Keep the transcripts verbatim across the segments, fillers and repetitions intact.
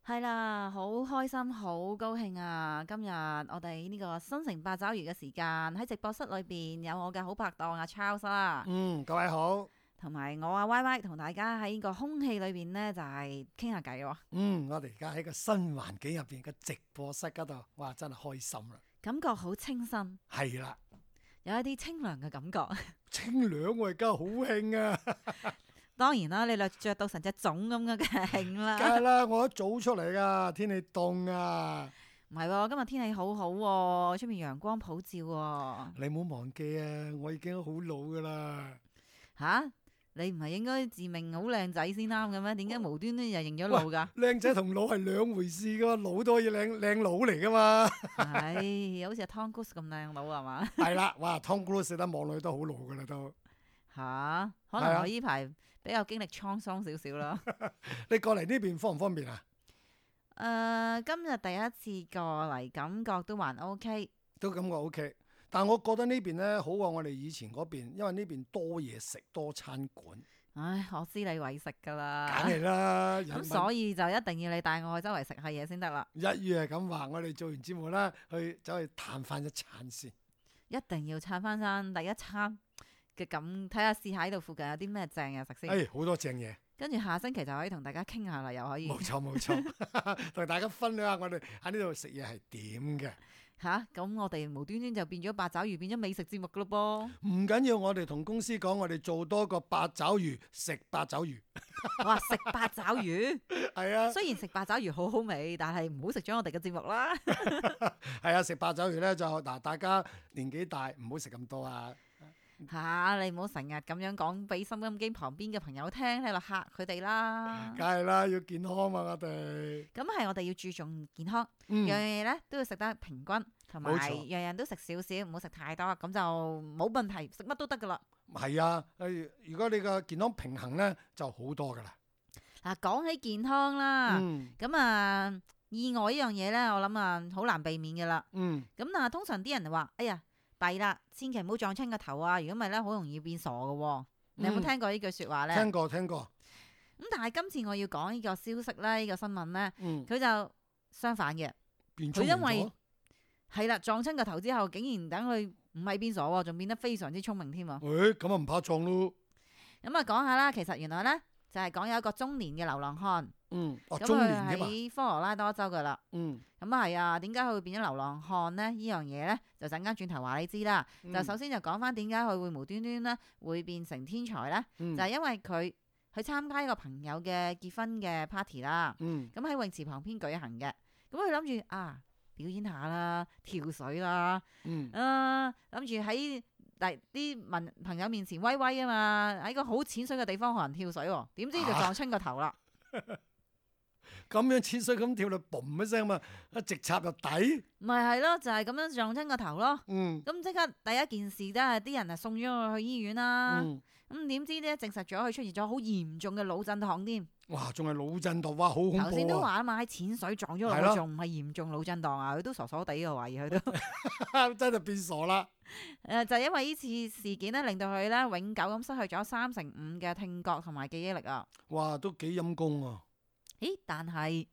係啦，好開心，好高興啊！今日我哋呢個新城八爪魚嘅時間喺直播室裏邊有我嘅好拍檔阿 Charles 啦，嗯，各位好。同埋我阿 Y Y 同大家喺呢個空氣裏邊呢，就係傾下偈喎。嗯，我哋而家喺個新環境入邊嘅直播室嗰度，哇，真係開心啦！感覺好清新，係啦，有一啲清涼嘅感覺。清涼我而家好興啊！當然啦，你略着到成隻粽咁嘅梗係興梗啦。係啦，我一早出嚟噶，天氣凍啊！唔係喎，今日天氣好好喎，出面陽光普照喎。你唔好忘記啊，我已經好老噶啦。吓？你唔係應該自命好靚仔先啱嘅咩？點解無端端又認咗老㗎？靚仔同老係兩回事噶，老都可以靚靚佬嚟噶嘛。係，好似阿 Tom Cruise 咁靚佬係嘛？係啦，哇，Tom Cruise 得望落去都好老噶啦都。吓，可係啊能我呢排比較經歷滄桑少少啦。你過嚟呢邊方唔方便啊？誒，今日第一次過嚟，感覺都還 OK。都感覺 OK，但係我覺得呢邊咧好過我哋以前嗰邊，因為呢邊多嘢食，多餐館。唉，我知你為食㗎啦。梗係啦，咁人所以就一定要你帶我去周圍食下嘢先得啦。一於係咁話，我哋做完節目啦，去走去嘆翻一餐先。一定要撐翻餐第一餐嘅咁，睇下試下喺度附近有啲咩正嘢食先。誒，好多正嘢，跟住下星期就可以同大家傾下啦，又可以冇錯冇錯，同大家分享下我哋喺呢度食嘢係點嘅。吓。咁我哋無端端就變咗八爪魚，變咗美食節目噶咯唔緊要，我哋同公司講，我哋做多個八爪魚，食八爪魚。噃。哇，食八爪魚，係啊，雖然食八爪魚好好味，但係唔好食咗我哋嘅節目啦。係啊，食八爪魚咧就嗱，大家年紀大唔好食咁多啊。吓，你唔好成日咁樣講俾收音機旁邊嘅朋友聽，喺度嚇佢哋啦。梗係啦，要健康嘛，我哋。咁係我哋要注重健康，嗯樣樣嘢咧都要食得平均，同埋冇錯樣樣都食少少，唔好食太多，咁就冇問題，食乜都得噶啦。係啊，誒，如果你個健康平衡咧，就好多噶啦。嗱，講起健康啦，嗯咁啊意外呢樣嘢咧，我諗啊好難避免噶啦。嗯，咁但係通常啲人就話：哎呀，弊啦，千祈唔好撞親個頭啊！如果唔係咧，好容易變傻噶喎。你有冇嗯聽過呢句説話咧？聽過聽過。咁但係今次我要講呢個消息咧，呢個新聞咧，嗯，佢就相反嘅。變佢因為聰明咗。係啦，撞親個頭之後，竟然等佢唔係變傻喎，仲變得非常之聰明添喎。誒，咁啊唔怕撞咯。咁啊講下啦，其實原來咧就係講有一個中年嘅流浪漢，嗯，哦，咁中佢年添嘛。喺科羅拉多州噶啦。嗯，咁啊係啊，點解佢會變咗流浪漢呢？呢樣嘢咧就陣間轉頭話你知啦。嗯就首先就講翻點解佢會無端端咧會變成天才咧？嗯就係因為佢去參加一個朋友嘅結婚嘅 party 啦。嗯咁喺泳池旁邊舉行嘅，咁佢諗住啊表演下啦，跳水啦，嗯，啊諗住喺第啲朋朋友面前威威啊嘛，喺個好淺水嘅地方學人跳水喎，點知就撞親個頭啦。咁樣淺水咁跳落，嘣一聲嘛，一直插入底。咪係咯，就係咁樣撞親個頭咯。嗯咁即刻第一件事都係啲人啊送咗佢去醫院啦。嗯，咁點知咧證實咗佢出現咗好嚴重嘅腦震盪添。哇，仲係腦震盪，哇，好恐頭先都怖啊！話啊嘛，喺淺水撞咗落去，係咯仲唔係嚴重腦震盪啊？佢都傻傻地嘅懷疑佢都。真係變傻啦。誒就係因為呢次事件咧，令到佢咧永久咁失去咗三成五嘅聽覺同埋記憶力啊！哇，都幾陰功啊！咦？但係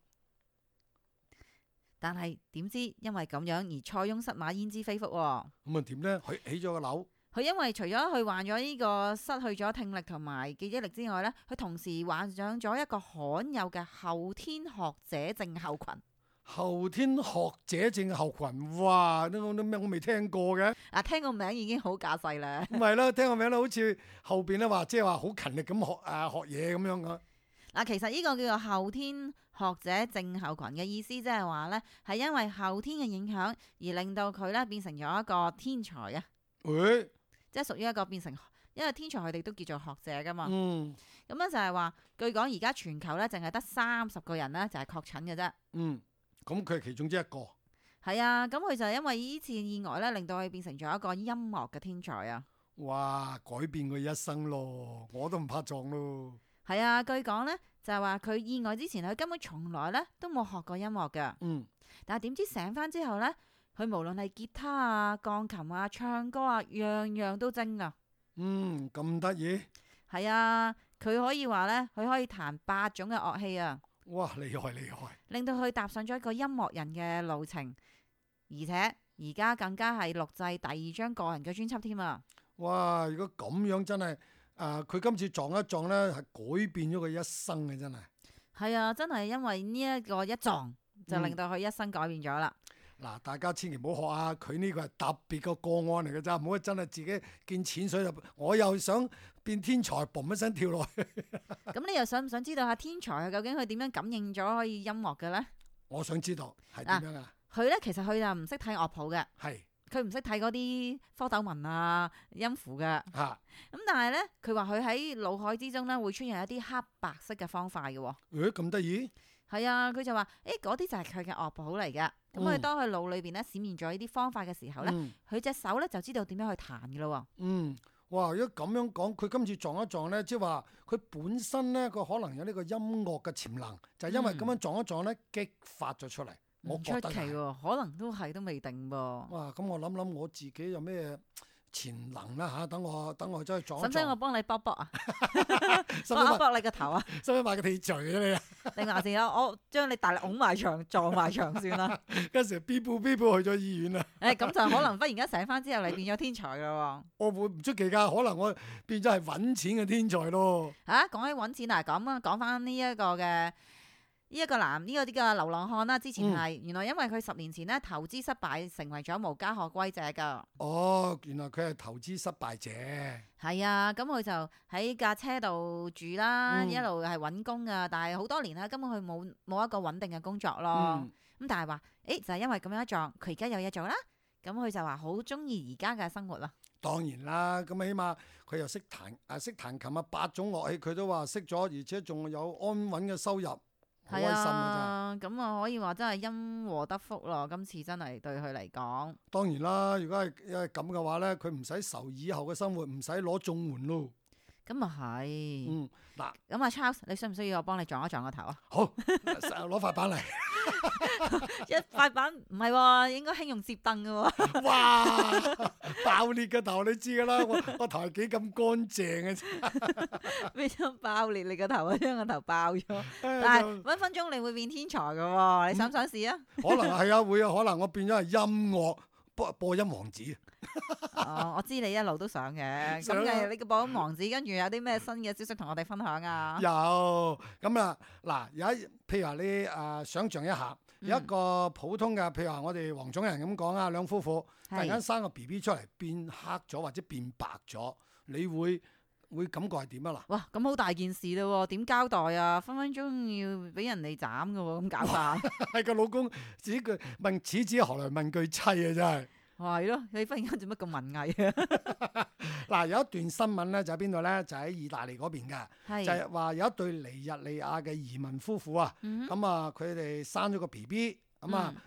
但係點知因為咁樣而塞翁失馬焉知非福喎？咁啊點咧？佢起咗個樓。佢因為除咗佢患咗呢個失去咗聽力同埋記憶力之外咧，佢同時患上咗一個罕有嘅後天學者症候群。後天學者症候群，哇！呢個啲咩我未聽過嘅。嗱，聽個名已經好架勢啦。唔係啦，聽個名咧，好似後邊咧話，即係話好勤力咁學誒學嘢咁樣噶。嗱，其實呢個叫做後天學者症候群嘅意思，即係話咧係因為後天嘅影響而令到佢咧變成咗一個天才啊！誒，即係屬於一個變成，因為天才佢哋都叫做學者噶嘛。嗯咁咧就係話，據講而家全球咧淨係得三十個人咧就係確診嘅啫。嗯，咁佢係其中之一個。係啊，咁佢就因為呢次意外咧，令到佢變成咗一個音樂嘅天才啊。哇！改變佢一生咯，我都唔怕撞咯。係啊，據講咧就係話佢意外之前，佢根本從來咧都冇學過音樂嘅。嗯，但係點知醒翻之後咧，佢無論係吉他啊、鋼琴啊、唱歌啊，樣樣都精啊。嗯，咁得意。係啊，佢可以話咧，佢可以彈八種嘅樂器啊。哇！厲害厲害！令到佢踏上咗一個音樂人嘅路程，而且而家更加係錄製第二張個人嘅專輯添啊！哇！如果咁樣真係誒，佢、呃、今次撞一撞咧，係改變咗佢一生嘅真係。係啊，真係因為呢一個一撞，就令到佢一生改變咗啦。嗱、嗯，大家千祈唔好學啊！佢呢個係特別個個案嚟嘅咋，唔好真係自己見淺水入。我又想變天才，嘣一聲跳落去。咁你又想唔想知道下天才究竟佢點樣感應咗可以音樂嘅咧？我想知道係點樣啊？佢咧其實佢就唔識睇樂譜嘅，係佢唔識睇嗰啲科斗文啊、音符嘅。嚇、啊！咁但係咧，佢話佢喺腦海之中咧會出現一啲黑白色嘅方塊嘅喎。誒咁得意？係啊，佢就話：誒嗰啲就係佢嘅樂譜嚟嘅。咁佢、嗯、當佢腦裏邊咧閃現咗呢啲方塊嘅時候咧，佢隻、嗯、手咧就知道點樣去彈嘅咯喎。嗯。哇！如果咁樣講，佢今次撞一撞咧，即係話佢本身咧，佢可能有呢個音樂嘅潛能，就係、是、因為咁樣撞一撞咧，激發咗出嚟。唔、嗯、出奇喎，可能都係都未定噃。哇！咁我諗諗我自己有咩潛能啦嚇？等我等我走去撞一撞。使唔使我幫你卜卜啊？幫我卜你個頭啊？使唔使買個鐵錘啊你啊？你話先啊！我將你大力拱埋牆撞埋牆算啦。跟住邊步邊步去咗醫院啦。誒咁就可能忽然間醒翻之後，你變咗天才噶喎。我會唔出奇㗎，可能我變咗係揾錢嘅天才咯。嚇！講起揾錢啊，咁啊講翻呢一個嘅。呢一個男呢、這個啲嘅流浪漢啦，之前係、嗯、原來因為佢十年前咧投資失敗，成為咗無家可歸者噶。哦，原來佢係投資失敗者。係啊，咁佢就喺架車度住啦，嗯、一路係揾工噶，但係好多年啦，根本佢冇冇一個穩定嘅工作咯。咁、嗯、但係話，誒就係、是、因為咁樣一撞，佢而家有嘢做啦。咁佢就話好中意而家嘅生活啦。當然啦，咁起碼佢又識彈啊，識彈琴啊，八種樂器佢都話識咗，而且仲有安穩嘅收入。係啊，咁啊可以話真係因禍得福咯。今次真係對佢嚟講，當然啦。如果係因為咁嘅話咧，佢唔使愁以後嘅生活，唔使攞綜援咯。咁啊係。嗯，嗱，咁啊 Charles，你需唔需要我幫你撞一撞個頭啊？好，攞塊板嚟。一塊板唔係喎，應該輕用摺凳嘅喎。哇！爆裂個頭，你知㗎啦，我我頭係幾咁乾淨嘅。咩叫爆裂你個頭啊？將個頭爆咗。但係分分鐘你會變天才嘅喎，你想唔想試啊？可能係啊，會啊，可能我變咗係音樂播播音王子。哦，我知你一路都想嘅。咁嘅你個播音王子，跟住有啲咩新嘅消息同我哋分享啊？有咁啊，嗱，有一譬如話你誒想像一下，有一個普通嘅，譬如話我哋黃種人咁講啊，兩夫婦突然間生個 B B 出嚟變黑咗或者變白咗，你會會感覺係點啊？嗱，哇，咁好大件事咯喎，點交代啊？分分鐘要俾人哋斬嘅喎，咁搞法。係個老公自己句問此子何來問句妻啊！真係。係咯，你忽然間做乜咁文藝啊？嗱，有一段新聞咧，就喺邊度咧？就喺意大利嗰邊嘅，是就係話有一對尼日利亞嘅移民夫婦啊，咁、嗯、哼啊，佢哋生咗個 B B，咁啊，嗯、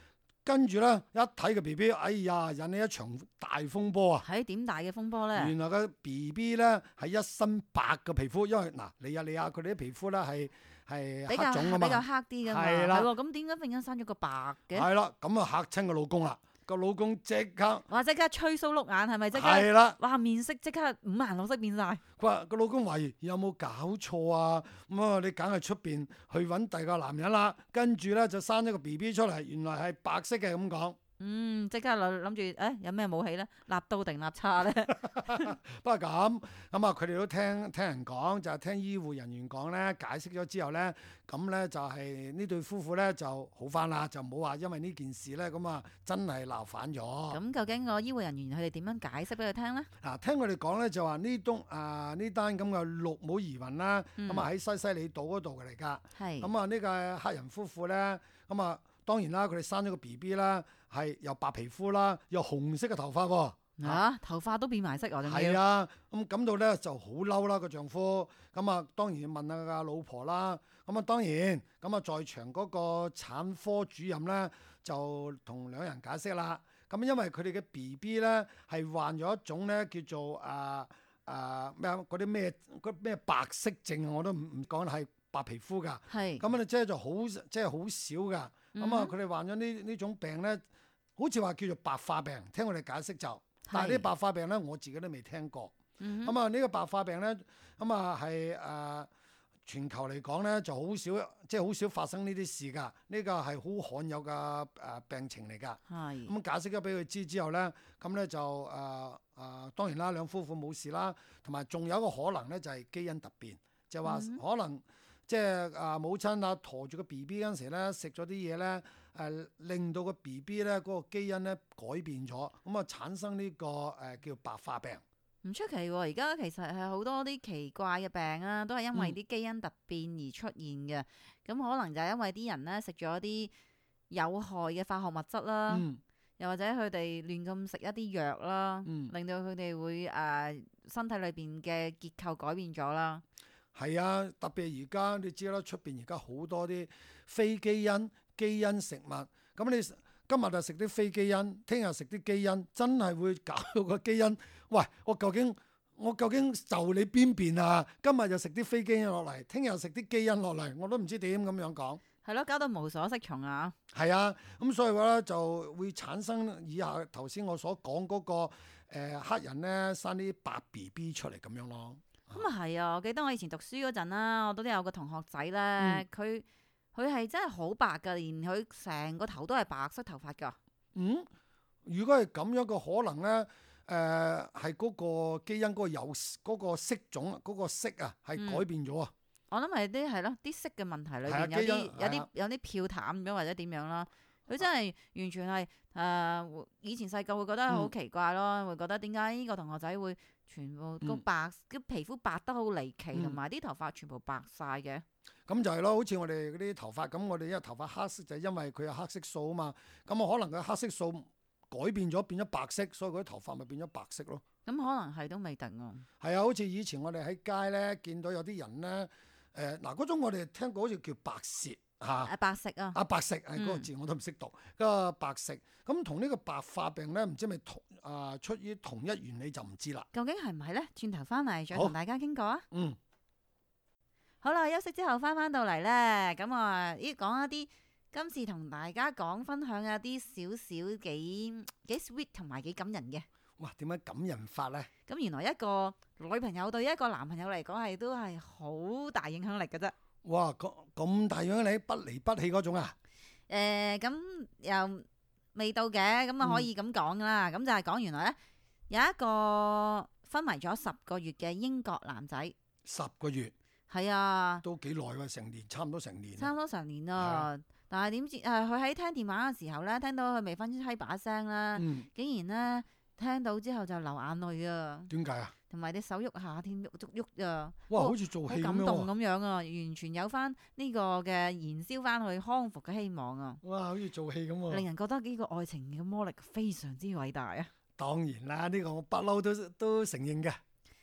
跟住咧一睇個 B B，哎呀，引起一場大風波啊！係點大嘅風波咧？原來個 B B 咧係一身白嘅皮膚，因為嗱，尼日利亞佢哋啲皮膚咧係係黑種啊嘛，比較黑啲㗎嘛，係啦，咁點解忽然間生咗個白嘅？係啦，咁啊嚇親個老公啦。個老公即刻，哇！即刻吹鬚碌眼，係咪即刻？係啦，哇！面色即刻五顏六色變晒。佢話個老公懷疑有冇搞錯啊？咁啊，你梗係出邊去揾第二個男人啦。跟住咧就生咗個 B B 出嚟，原來係白色嘅咁講。嗯，即刻諗諗住，誒、哎、有咩武器咧？立刀定立叉咧？不過咁咁啊，佢哋都聽聽人講，就係、是、聽醫護人員講咧，解釋咗之後咧，咁咧就係呢對夫婦咧就好翻啦，就冇話因為呢件事咧咁啊真係鬧反咗。咁究竟個醫護人員佢哋點樣解釋俾佢聽咧？嗱、啊，聽佢哋講咧就話呢棟啊呢單咁嘅綠帽移民啦，咁啊喺西西里島嗰度嘅嚟㗎。係是。咁啊呢個黑人夫婦咧，咁啊當然啦，佢哋生咗個 B B 啦。係又白皮膚啦，又紅色嘅頭髮喎。啊，頭髮都變埋色啊！係啊，咁感到咧就好嬲啦個丈夫。咁啊，當然要問下個老婆啦。咁啊，當然咁啊，在場嗰個產科主任咧就同兩人解釋啦。咁因為佢哋嘅 B B 咧係患咗一種咧叫做啊啊咩嗰啲咩嗰咩白色症啊，我都唔唔講係白皮膚㗎。係是。咁啊，即係就好即係好少㗎。咁、嗯、啊，佢哋患咗呢呢種病咧。好似話叫做白化病，聽我哋解釋就，但係呢白化病咧，我自己都未聽過。咁啊、嗯哼，呢個白化病咧，咁啊係誒全球嚟講咧就好少，即係好少發生呢啲事㗎。呢個係好罕有嘅誒、呃、病情嚟㗎。係咁解釋咗俾佢知之後咧，咁咧就誒誒、呃呃、當然啦，兩夫婦冇事啦。同埋仲有一個可能咧，就係、是、基因突變，就話、是、可能即係啊母親啊陀住個 B B 嗰陣時咧，食咗啲嘢咧誒，令到個 B B 咧嗰個基因咧改變咗，咁啊產生呢、這個誒、呃、叫白化病。唔出奇喎，而家其實係好多啲奇怪嘅病啊，都係因為啲基因突變而出現嘅。咁、嗯、可能就係因為啲人咧食咗啲有害嘅化學物質啦，嗯、又或者佢哋亂咁食一啲藥啦，嗯、令到佢哋會誒、呃、身體裏邊嘅結構改變咗啦。係啊，特別而家你知啦，出邊而家好多啲非基因基因食物，咁你今日就食啲非基因，聽日食啲基因，真係會搞到個基因。喂，我究竟我究竟就你邊邊啊？今日就食啲非基因落嚟，聽日食啲基因落嚟，我都唔知點咁樣講。係咯，搞到無所適從啊！係啊，咁所以話咧就會產生以下頭先我所講嗰、那個誒、呃、黑人咧生啲白 B B 出嚟咁樣咯。咁啊係啊！我記得我以前讀書嗰陣啦，我都有個同學仔咧，佢佢係真係好白噶，連佢成個頭都係白色頭髮噶。嗯，如果係咁樣嘅可能咧，誒係嗰個基因嗰個有嗰、嗰個色種嗰、嗰個色啊，係改變咗啊！我諗係啲係咯，啲色嘅問題裏邊、啊、有啲有啲有啲漂淡咗或者點樣啦。佢真係完全係誒、呃，以前細個會覺得好奇怪咯，嗯、會覺得點解呢個同學仔會全部個白，個、嗯、皮膚白得好離奇，同埋啲頭髮全部白晒嘅。咁、嗯、就係咯，好似我哋嗰啲頭髮咁，我哋因為頭髮黑色就係因為佢有黑色素啊嘛。咁啊，可能佢黑色素改變咗變咗白色，所以佢啲頭髮咪變咗白色咯。咁可能係都未定啊。係啊，好似以前我哋喺街咧見到有啲人咧，誒嗱嗰種我哋聽過好似叫白舌。嚇！啊白色啊！啊白色係嗰個字我都唔識讀。嗰個白色咁同呢個白化病咧，唔知係咪同啊出於同一原理就唔知啦。究竟係唔係咧？轉頭翻嚟再同大家傾過啊！嗯，好啦，休息之後翻翻到嚟咧，咁啊，咦講一啲今次同大家講分享一啲少少幾幾 sweet 同埋幾感人嘅。哇！點解感人法咧？咁原來一個女朋友對一個男朋友嚟講係都係好大影響力嘅啫。哇！咁咁大樣你不離不棄嗰種啊？誒、呃，咁又未到嘅，咁啊可以咁講啦。咁、嗯、就係講原來咧有一個昏迷咗十個月嘅英國男仔。十個月？係啊，都幾耐喎，成年，差唔多成年。差唔多成年啊！啊但係點知誒，佢喺聽電話嘅時候咧，聽到佢未婚妻把聲啦，嗯、竟然咧聽到之後就流眼淚啊！點解啊？同埋啲手喐下添，喐喐喐啊！哇，好似做戲咁樣，好感動咁樣啊！完全有翻呢個嘅燃燒翻去康復嘅希望啊！哇，好似做戲咁啊！令人覺得呢個愛情嘅魔力非常之偉大啊！當然啦，呢、呢個我不嬲都都承認嘅。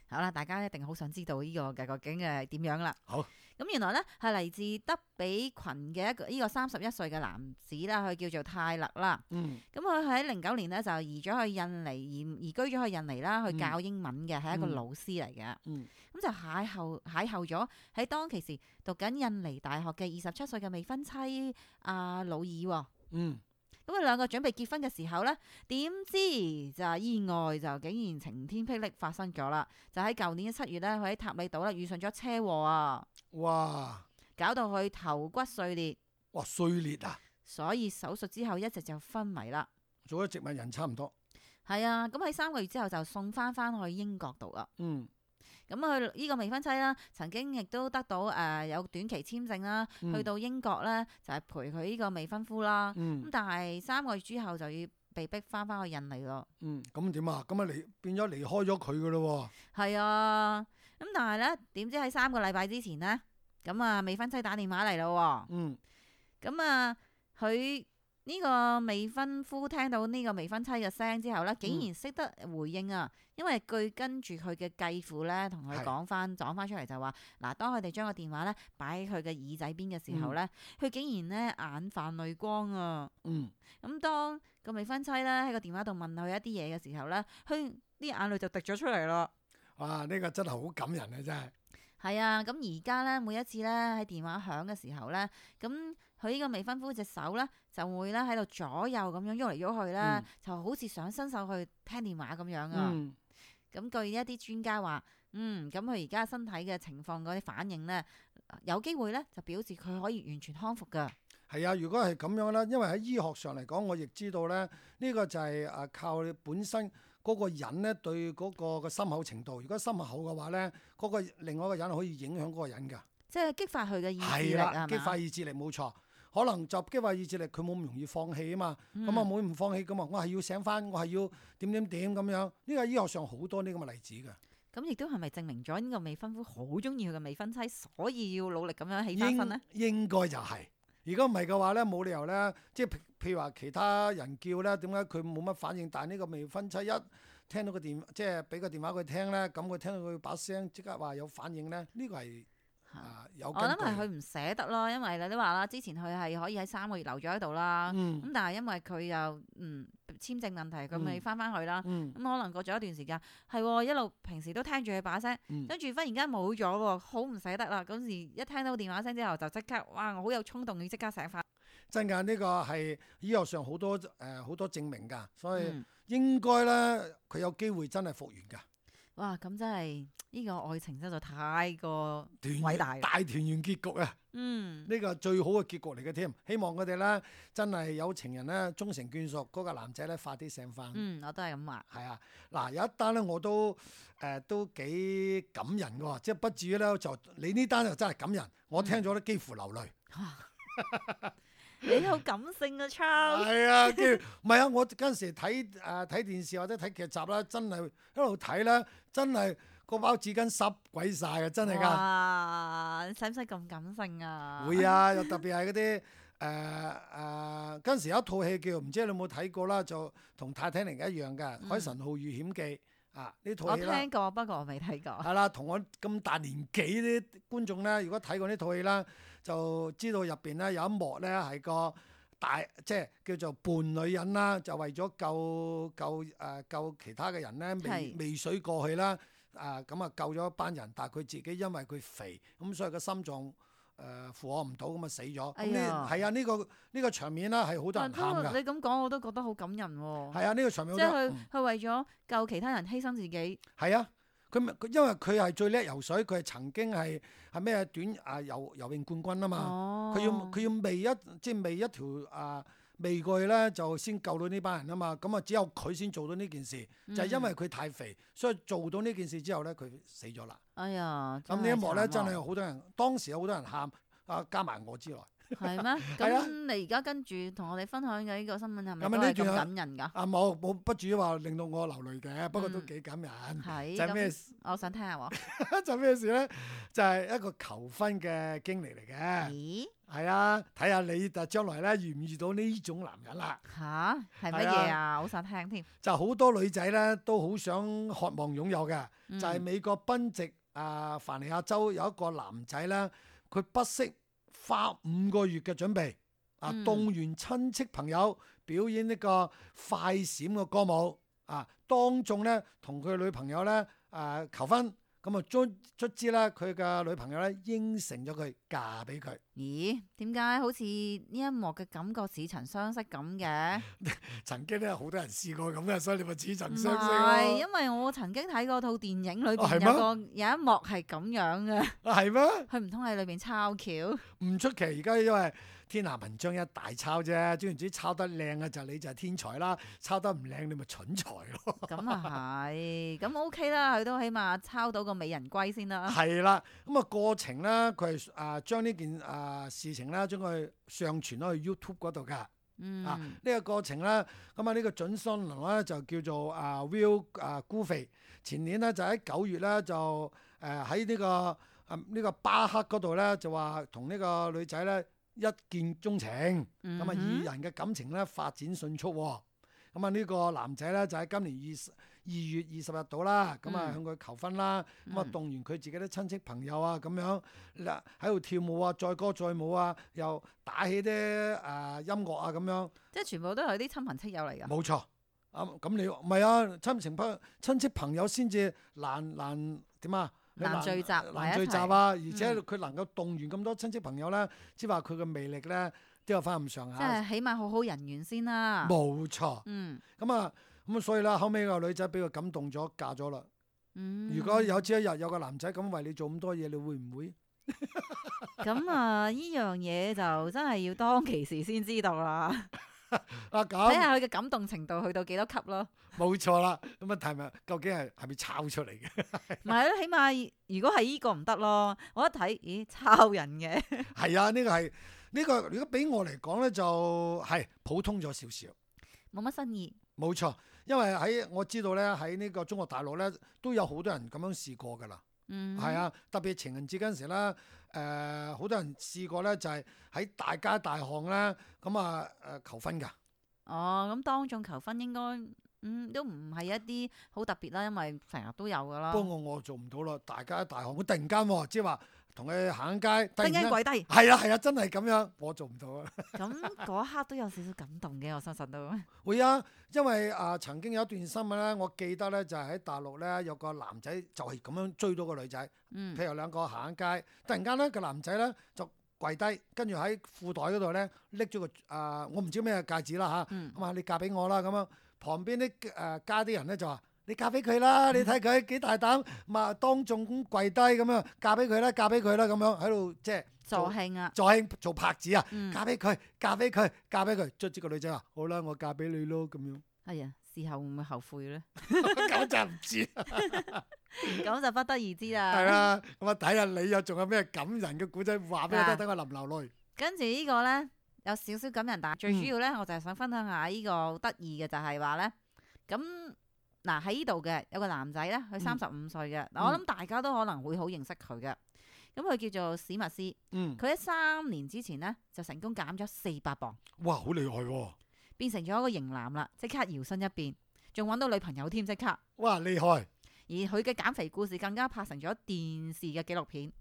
好啦，大家一定好想知道呢個嘅究竟係點樣啦。好，咁原來咧係嚟自德比群嘅一個呢個三十一歲嘅男子啦，佢叫做泰勒啦。嗯。咁佢喺零九年咧就移咗去印尼，移移居咗去印尼啦，去教英文嘅，係、嗯、一個老師嚟嘅。嗯。咁就邂逅邂逅咗喺當其時讀緊印尼大學嘅二十七歲嘅未婚妻阿魯爾喎。嗯。咁佢兩個準備結婚嘅時候咧，點知就係意外就竟然晴天霹靂發生咗啦！就喺舊年嘅七月咧，佢喺塔里島咧遇上咗車禍啊！哇！搞到佢頭骨碎裂。哇！碎裂啊！所以手術之後一直就昏迷啦。做咗植物人差唔多。係啊，咁喺三個月之後就送翻翻去英國度啦。嗯。咁佢呢個未婚妻啦，曾經亦都得到誒、呃、有短期簽證啦，嗯、去到英國咧就係、是、陪佢呢個未婚夫啦。咁、嗯、但係三個月之後就要被逼翻翻去印尼咯。嗯，咁點啊？咁啊離變咗離開咗佢噶咯喎。係啊，咁但係咧點知喺三個禮拜之前咧，咁啊未婚妻打電話嚟咯喎。嗯。咁啊佢。呢個未婚夫聽到呢個未婚妻嘅聲之後咧，竟然識得回應啊！嗯、因為據跟住佢嘅繼父咧，同佢講翻講翻出嚟就話，嗱，當佢哋將個電話咧擺喺佢嘅耳仔邊嘅時候咧，佢、嗯、竟然咧眼泛淚光啊！嗯，咁當個未婚妻咧喺個電話度問佢一啲嘢嘅時候咧，佢啲眼淚就滴咗出嚟咯。哇！呢、呢個真係好感人啊，真係。係啊，咁而家咧每一次咧喺電話響嘅時候咧，咁。佢呢個未婚夫隻手咧就會咧喺度左右咁樣喐嚟喐去咧，嗯、就好似想伸手去聽電話咁樣啊。咁、嗯、據一啲專家話，嗯，咁佢而家身體嘅情況嗰啲反應咧，有機會咧就表示佢可以完全康復㗎。係啊，如果係咁樣咧，因為喺醫學上嚟講，我亦知道咧，呢、呢個就係誒靠你本身嗰個人咧對嗰個嘅心口程度。如果心口厚嘅話咧，嗰、嗰個另外一個人可以影響嗰個人㗎。即係激發佢嘅意志力係啦，係嘛？激發意志力冇錯。可能就激發意志力，佢冇咁容易放棄啊嘛。咁啊冇唔放棄咁啊，我係要醒翻，我係要點點點咁樣。呢個醫學上好多呢咁嘅例子㗎。咁亦都係咪證明咗呢個未婚夫好中意佢嘅未婚妻，所以要努力咁樣起翻身咧？應應該就係、是。如果唔係嘅話咧，冇理由咧，即係譬譬如話其他人叫咧，點解佢冇乜反應？但係呢個未婚妻一聽到個電，即係俾個電話佢聽咧，咁佢聽到佢把聲即刻話有反應咧，呢、呢個係。啊、有我諗係佢唔捨得咯，因為你都話啦，之前佢係可以喺三個月留咗喺度啦，咁、嗯、但係因為佢又嗯簽證問題，佢咪翻翻去啦，咁、嗯嗯、可能過咗一段時間，係一路平時都聽住佢把聲，跟住忽然間冇咗喎，好唔捨得啦，嗰時一聽到電話聲之後就即刻，哇！我好有衝動要即刻醒翻。真㗎，呢、呢個係醫學上好多誒好、呃、多證明㗎，所以應該咧佢有機會真係復原㗎。哇！咁真係呢個愛情真係太過偉大，大團圓結局啊！嗯，呢個最好嘅結局嚟嘅添。希望佢哋咧真係有情人咧終成眷屬，嗰、嗰個男仔咧快啲醒翻。嗯，我都係咁話。係啊，嗱有一單咧我都誒、呃、都幾感人嘅，即係不至於咧就你呢單就真係感人，我聽咗都幾乎流淚。嗯你好感性啊，Charles。係啊，跟住唔係啊，我嗰陣時睇誒睇電視或者睇劇集啦，真係一路睇啦，真係個包紙巾濕鬼晒啊，真係㗎。哇！使唔使咁感性啊？會啊，又特別係嗰啲誒誒嗰陣時有一套戲叫唔知你有冇睇過啦，就同泰坦尼克一樣嘅《海神號遇險記》啊，呢套戲啦。我聽過，不過我未睇過。係啦，同我咁大年紀啲觀眾咧，如果睇過呢套戲啦，就知道入邊咧有一幕咧係個大即係叫做伴女人啦，就為咗救救誒、呃、救其他嘅人咧，未未水過去啦，啊咁啊救咗一班人，但係佢自己因為佢肥，咁所以個心臟誒、呃、負荷唔到，咁啊死咗。咁、哎、呢係啊呢、呢個呢、呢個場面啦係好多人喊㗎。你咁講我都覺得好感人喎、哦。係啊，呢、呢個場面好多人。即係佢佢為咗救其他人犧牲自己。係啊。佢佢因為佢係最叻游水，佢係曾經係係咩短啊游游泳冠軍啊嘛。佢、哦、要佢要未一即係未一條啊未過去咧，就先救到呢班人啊嘛。咁啊只有佢先做到呢件事，嗯、就係因為佢太肥，所以做到呢件事之後咧，佢死咗啦。哎呀！咁呢一幕咧真係好多人，當時有好多人喊啊，加埋我之內。係咩？咁你而家跟住同我哋分享嘅呢個新聞係咪都係咁感人㗎？啊冇冇不至於話令到我流淚嘅，不過都幾感人。係、嗯、就係咩？我想聽下喎。就咩事咧？就係、是、一個求婚嘅經歷嚟嘅。咦？係啊，睇下你就將來咧遇唔遇到呢種男人啦。吓？係乜嘢啊？好想聽添。就好多女仔咧都好想渴望擁有嘅，嗯、就係美國賓夕啊凡尼亞州有一個男仔咧，佢不惜花五個月嘅準備，啊，動員親戚朋友表演呢個快閃嘅歌舞，啊，當眾咧同佢女朋友咧啊求婚，咁啊卒卒之咧佢嘅女朋友咧應承咗佢嫁俾佢。咦？點解好似呢一幕嘅感覺似曾相識咁嘅？曾經咧好多人試過咁嘅，所以你咪似曾相識咯。係，因為我曾經睇過套電影裏邊有個有一幕係咁樣嘅。啊，係咩？佢唔通喺裏邊抄橋？唔出奇，而家因為天下文章一大抄啫，總言之抄得靚嘅就你就係天才啦，抄得唔靚你咪蠢材咯。咁啊係，咁 OK 啦，佢都起碼抄到個美人歸先啦。係啦，咁啊過程咧，佢係啊將呢件啊事情咧將佢上傳咗去 YouTube 嗰度噶。嗯、啊！呢、這個過程咧，咁啊呢個準新郎咧就叫做啊 Will 啊 Goofy，前年咧就喺九月咧就誒喺呢個啊呢、這個巴克嗰度咧就話同呢個女仔咧一見鍾情，咁啊、嗯、哼二人嘅感情咧發展迅速、哦，咁啊呢個男仔咧就喺今年二十二月二十日到啦，咁啊向佢求婚啦，咁啊、嗯、動員佢自己啲親戚朋友啊咁樣嗱喺度跳舞啊，載歌載舞啊，又打起啲誒、呃、音樂啊咁樣，即係全部都係啲親朋戚友嚟㗎。冇錯，啊咁你唔係啊親情朋親戚朋友先至難難點啊難聚集難聚集啊，而且佢能夠動員咁多親戚朋友咧，即係話佢嘅魅力咧都有翻咁上下。即係起碼好好人緣先啦。冇錯。嗯。咁啊。咁所以啦，後尾個女仔俾佢感動咗，嫁咗啦。嗯、如果有朝一日有個男仔咁為你做咁多嘢，你會唔會？咁啊，呢樣嘢就真係要當其時先知道啦。啊睇咁下佢嘅感動程度去到幾多級咯。冇錯啦。咁啊，係咪究竟係係咪抄出嚟嘅？唔係咯，起碼如果係呢個唔得咯，我一睇，咦，抄人嘅。係啊，呢、個係呢、個如果俾我嚟講咧，就係、普通咗少少。冇乜新意。冇錯，因為喺我知道咧，喺呢個中國大陸咧都有好多人咁樣試過㗎啦。嗯，係啊，特別情人節嗰陣時咧，誒、好多人試過咧，就係、喺大街大巷咧，咁啊誒求婚㗎。哦，咁當眾求婚應該嗯都唔係一啲好特別啦，因為成日都有噶啦。不過我我做唔到咯，大街大巷，我突然間喎，即係話同佢行街，突突然然間間跪低，係啊係啊，真係咁樣，我做唔到啊。咁嗰一刻都有少少感動嘅，我相信都。會啊，因為啊、曾經有一段新聞咧，我記得咧就係、喺大陸咧有個男仔就係咁樣追到個女仔，嗯，譬如兩個行緊街，突然間咧個男仔咧就跪低，跟住喺褲袋嗰度咧拎咗個啊、我唔知咩戒指啦嚇，嗯咁啊你嫁俾我啦咁樣，旁邊啲誒家啲人咧就話。你嫁俾佢啦！你睇佢幾大膽，咁啊當眾咁跪低咁樣，嫁俾佢啦，嫁俾佢啦咁樣喺度即係助興啊，助興做拍子啊！嗯，嫁俾佢，嫁俾佢，嫁俾佢，卒之個女仔話：好啦，我嫁俾你咯咁樣。係啊，事後會唔會後悔咧？咁就唔知，咁就不得而知啦。係啦。咁啊睇下你有仲有咩感人嘅古仔話俾我聽，等我淋流淚。跟住呢個咧有少少感人，但係最主要咧，我就係想分享下呢個得意嘅就係話咧，咁嗱喺呢度嘅有個男仔咧，佢三十五歲嘅，嗱我諗大家都可能會好認識佢嘅。咁佢叫做史密斯，嗯，佢喺三年之前咧就成功減咗四百磅，哇，好厲害喎！變成咗一個型男啦，即刻搖身一變，仲揾到女朋友添，即刻。哇，厲害！而佢嘅減肥故事更加拍成咗電視嘅紀錄片。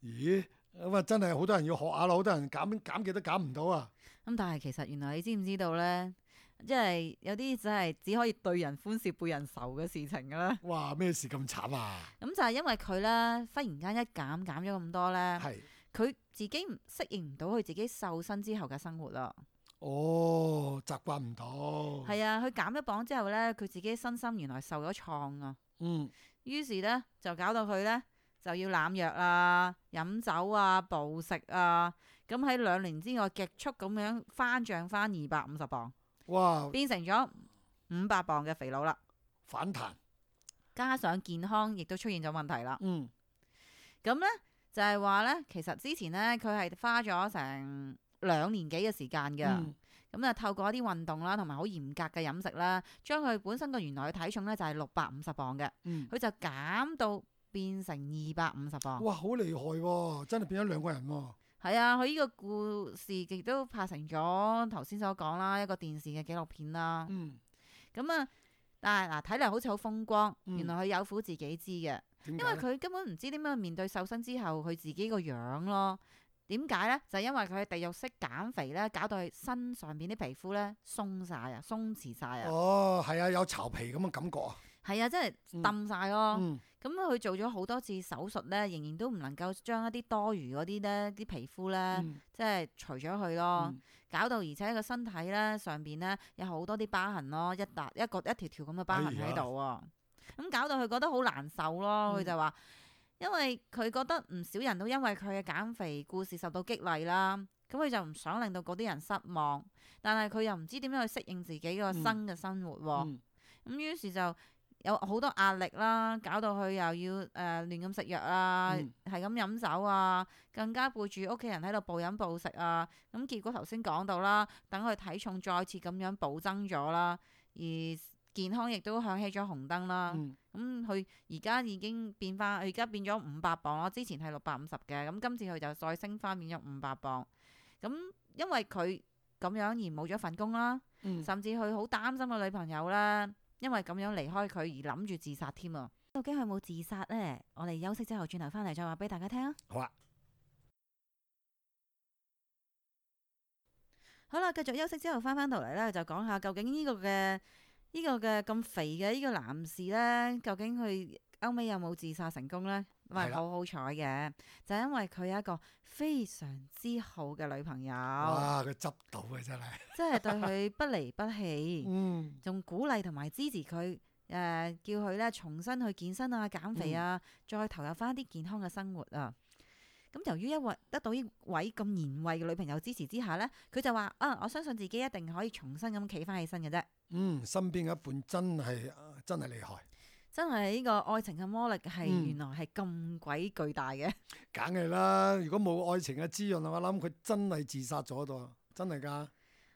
咦，咁啊真係好多人要學下咯，好多人減減極都減唔到啊！咁但係其實原來你知唔知道咧？即係有啲真係只可以對人歡笑背人愁嘅事情嘅啦。哇，咩事咁慘啊？咁就係因為佢咧，忽然間一減減咗咁多咧，係，佢自己唔適應唔到佢自己瘦身之後嘅生活啦。哦，習慣唔到。係啊，佢減咗磅之後咧，佢自己身心原來受咗創啊。嗯，於是咧就搞到佢咧就要濫藥啊、飲酒啊、暴食啊。咁喺兩年之內極速咁樣翻漲翻二百五十磅。哇，變成咗五百磅嘅肥佬啦，反彈。加上健康亦都出現咗問題啦。嗯，咁咧就係話咧，其實之前咧佢係花咗成兩年幾嘅時間嘅，咁啊、嗯、透過一啲運動啦，同埋好嚴格嘅飲食啦，將佢本身個原來嘅體重咧就係六百五十磅嘅，佢、嗯，就減到變成二百五十磅。哇，好厲害喎！真係變咗兩個人喎。係啊，佢呢個故事亦都拍成咗頭先所講啦，一個電視嘅紀錄片啦。嗯，咁啊，但係嗱睇嚟好似好風光，嗯原來佢有苦自己知嘅，因為點解咧？佢根本唔知點樣面對瘦身之後佢自己個樣咯。點解咧？就係因為佢喺地獄式減肥咧，搞到佢身上邊啲皮膚咧鬆晒啊，鬆弛晒啊。哦，係啊，有巢皮咁嘅感覺啊。係啊，真係冧晒咯。嗯，咁佢做咗好多次手術咧，仍然都唔能夠將一啲多餘嗰啲咧啲皮膚咧，嗯即係除咗佢咯。嗯搞到而且個身體咧上邊咧有好多啲疤痕咯，一笪一個一條條咁嘅疤痕喺度喎。咁搞到佢覺得好難受咯。佢、嗯就話，因為佢覺得唔少人都因為佢嘅減肥故事受到激勵啦，咁佢就唔想令到嗰啲人失望，但係佢又唔知點樣去適應自己個新嘅生活喎。咁、嗯、於是就有好多壓力啦，搞到佢又要誒、呃、亂咁食藥啊，係咁飲酒啊，更加背住屋企人喺度暴飲暴食啊。咁結果頭先講到啦，等佢體重再次咁樣暴增咗啦，而健康亦都響起咗紅燈啦。咁佢而家已經變翻，佢而家變咗五百磅咯。之前係六百五十嘅，咁今次佢就再升翻變咗五百磅。咁因為佢咁樣而冇咗份工啦，嗯、甚至佢好擔心個女朋友啦。因為咁樣離開佢而諗住自殺添啊！究竟佢有冇自殺呢？我哋休息之後轉頭翻嚟再話俾大家聽啊！好啊，好啦，繼續休息之後翻翻到嚟咧，就講下究竟呢個嘅呢、這個嘅咁肥嘅呢個男士咧，究竟佢後尾有冇自殺成功咧？唔係好好彩嘅，就係因為佢有一個非常之好嘅女朋友。哇！佢執到嘅真係，即係對佢不離不棄，仲、嗯、鼓勵同埋支持佢，誒、呃、叫佢咧重新去健身啊、減肥啊，嗯、再投入翻啲健康嘅生活啊。咁由於一位得到呢位咁賢惠嘅女朋友支持之下咧，佢就話啊，我相信自己一定可以重新咁企翻起身嘅啫。嗯，身邊嘅一半真係真係厲害。真係呢個愛情嘅魔力係嗯原來係咁鬼巨大嘅。梗係啦，如果冇愛情嘅滋潤，我諗佢真係自殺咗度，真係㗎。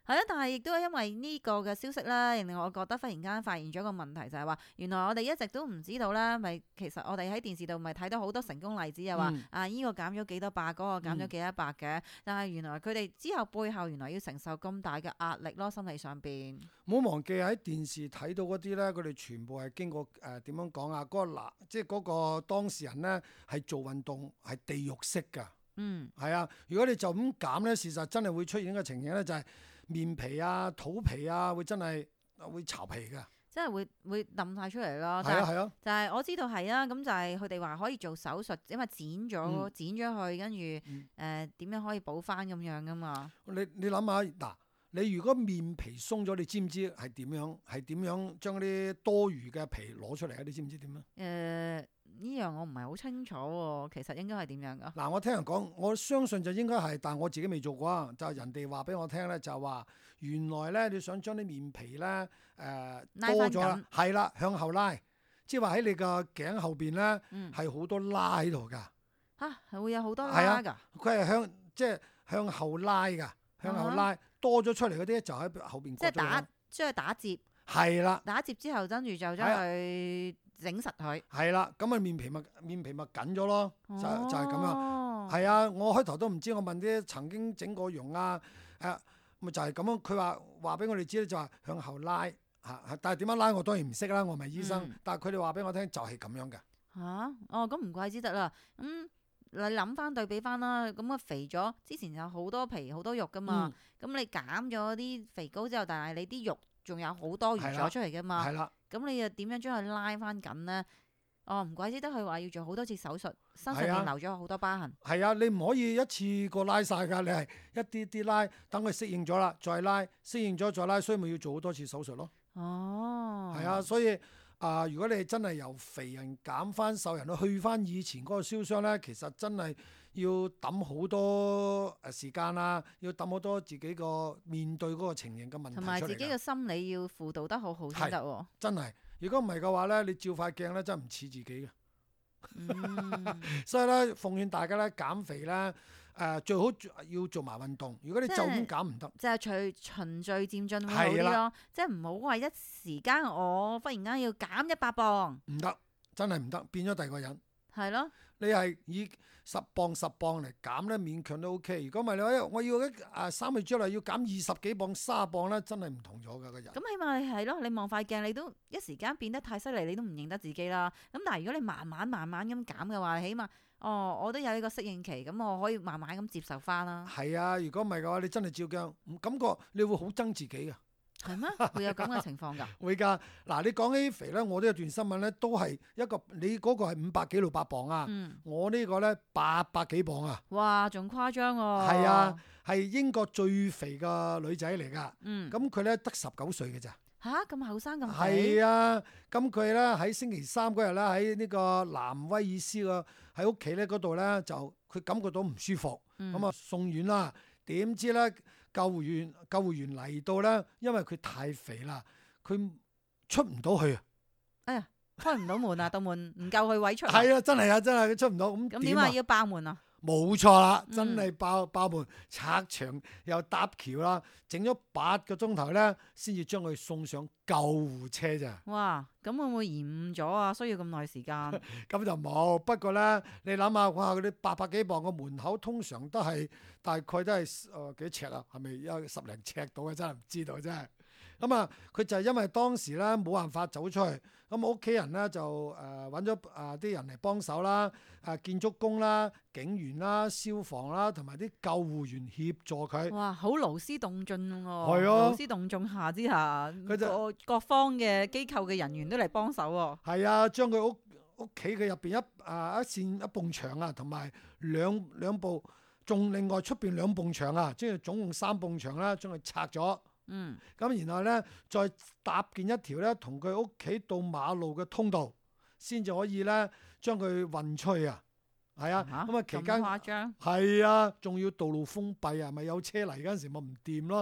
係啊，但係亦都係因為呢個嘅消息啦，令我覺得忽然間發現咗個問題，就係話原來我哋一直都唔知道啦，咪其實我哋喺電視度咪睇到好多成功例子，又話、嗯、啊呢、這個減咗幾多百，嗰、那個減咗幾多百嘅，嗯、但係原來佢哋之後背後原來要承受咁大嘅壓力咯，心理上邊。唔好忘記喺電視睇到嗰啲咧，佢哋全部係經過誒點樣講啊？嗰、那個嗱，即係嗰個當事人咧係做運動係地獄式㗎。嗯，係啊，如果你就咁減咧，事實真係會出現一個情形咧，就係、是。面皮啊、肚皮啊，會真係會巢皮嘅，即係會會冧晒出嚟咯。係啊係啊，就係我知道係啊，咁就係佢哋話可以做手術，因為剪咗、嗯、剪咗去，跟住誒點樣可以補翻咁樣噶嘛？你你諗下嗱，你如果面皮鬆咗，你知唔知係點樣？係點樣將啲多餘嘅皮攞出嚟啊？你知唔知點啊？誒、呃。呢樣我唔係好清楚喎，其實應該係點樣噶？嗱，我聽人講，我相信就應該係，但係我自己未做過啊。就係人哋話俾我聽咧，就係話原來咧，你想將啲面皮咧誒、呃、多咗啦，係啦，向後拉，即係話喺你個頸後邊咧係好多拉喺度㗎。嚇、啊，係會有好多拉㗎？佢係向即係向後拉㗎，向後拉、啊、多咗出嚟嗰啲就喺後邊。即係打，即係打折。係啦。打折之後，跟住就將佢整實佢。係啦，咁啊面皮咪面皮咪緊咗咯，就就係咁樣。係啊，我開頭都唔知，我問啲曾經整過容啊，誒咪就係咁樣。佢話話俾我哋知咧，就話向後拉嚇，但係點樣拉我當然唔識啦，我唔係醫生。嗯、但係佢哋話俾我聽就係咁樣嘅。嚇、啊，哦咁唔怪之得啦。咁、嗯、你諗翻對比翻啦，咁啊肥咗，之前有好多皮好多肉噶嘛，咁、嗯、你減咗啲肥膏之後，但係你啲肉仲有好多餘咗出嚟噶嘛。係啦。咁你又點樣將佢拉翻緊咧？哦，唔怪之得佢話要做好多次手術，身上面留咗好多疤痕。係啊，你唔可以一次過拉晒㗎，你係一啲啲拉，等佢適應咗啦，再拉，適應咗再拉，所以咪要做好多次手術咯。哦，係啊，所以啊、呃，如果你真係由肥人減翻瘦人去去翻以前嗰個燒傷咧，其實真係要揼好多誒時間啦，要揼好多自己個面對嗰個情形嘅問題出嚟。同埋自己嘅心理要輔導得好好先得喎。真係。如果唔係嘅話咧，你照塊鏡咧真係唔似自己嘅。嗯、所以咧，奉勸大家咧減肥咧，誒、呃、最好要做埋運動。如果你就咁減唔得，就係隨循序漸進會好啲咯。的即係唔好話一時間我忽然間要減一百磅，唔得，真係唔得，變咗第二個人。係咯，你係以十磅十磅嚟減咧，勉強都 OK。如果唔係你話我要一誒三個月之內要減二十幾磅、卅磅咧，真係唔同咗㗎個人。咁起碼你係咯，你望塊鏡，你都一時間變得太犀利，你都唔認得自己啦。咁但係如果你慢慢慢慢咁減嘅話，起碼哦，我都有呢個適應期，咁我可以慢慢咁接受翻啦。係啊，如果唔係嘅話，你真係照鏡，感覺你會好憎自己㗎。係咩？會有咁嘅情況㗎？會㗎。嗱，你講起肥咧，我都有段新聞咧，都係一個你嗰個係五百幾六百磅啊，嗯、我呢個咧八百幾磅啊。哇，仲誇張喎！係啊，係英國最肥嘅女仔嚟㗎。嗯。咁佢咧得十九歲嘅咋？吓？咁後生咁肥？係啊，咁佢咧喺星期三嗰日咧喺呢個南威爾斯個喺屋企咧嗰度咧就佢感覺到唔舒服，咁啊、嗯、送院啦。點知咧？救護員救護員嚟到咧，因為佢太肥啦，佢出唔到去啊！哎呀，開唔到門啊，道門唔夠佢位出。係啊，真係啊，真係佢出唔到。咁咁點啊？要爆門啊！冇錯啦，真係爆爆門，拆牆又搭橋啦，整咗八個鐘頭咧，先至將佢送上救護車咋。哇！咁會唔會延誤咗啊？需要咁耐時間？咁就冇。不過咧，你諗下，哇！嗰啲八百幾磅個門口，通常都係大概都係誒幾尺啊？係咪有十零尺到嘅？真係唔知道真係。咁啊，佢就係因為當時咧冇辦法走出去，咁屋企人咧就誒揾咗啊啲人嚟幫手啦，啊建築工啦、警員啦、消防啦，同埋啲救護員協助佢。哇！好勞師動眾喎，係啊，勞師動眾下之下，佢就各各方嘅機構嘅人員都嚟幫手喎。係啊，將佢屋屋企嘅入邊一啊一扇一埲牆啊，同埋兩兩部，仲另外出邊兩埲牆啊，即係總共三埲牆啦，將佢拆咗。嗯，咁然後咧，再搭建一條咧，同佢屋企到馬路嘅通道，先至可以咧將佢運出去啊！係啊，咁啊期咁間誇張，係啊，仲要道路封閉啊，咪有車嚟嗰陣時咪唔掂咯。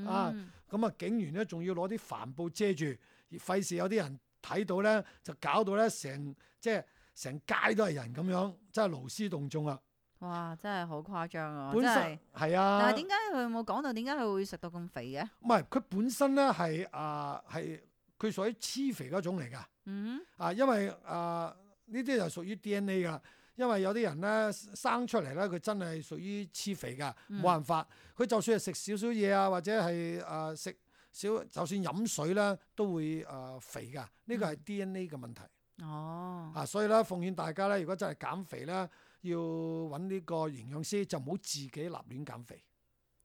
啊，嗯，咁啊警員咧仲要攞啲帆布遮住，費事有啲人睇到咧，就搞到咧成即係成街都係人咁樣，真係勞師動眾啊！哇，真係好誇張啊！本身真係，係啊，但係點解佢冇講到點解佢會食到咁肥嘅？唔係佢本身咧係啊係佢屬於黐肥嗰種嚟㗎。嗯啊，因為啊呢啲就屬於 D N A 㗎，因為有啲人咧生出嚟咧，佢真係屬於黐肥㗎，冇、嗯辦法。佢就算係食少少嘢啊，或者係啊食少，就算飲水咧，都會啊肥㗎。呢個係 D N A 嘅問題。哦，啊，所以咧奉勸大家咧，如果真係減肥咧，要揾呢個營養師，就唔好自己立亂減肥。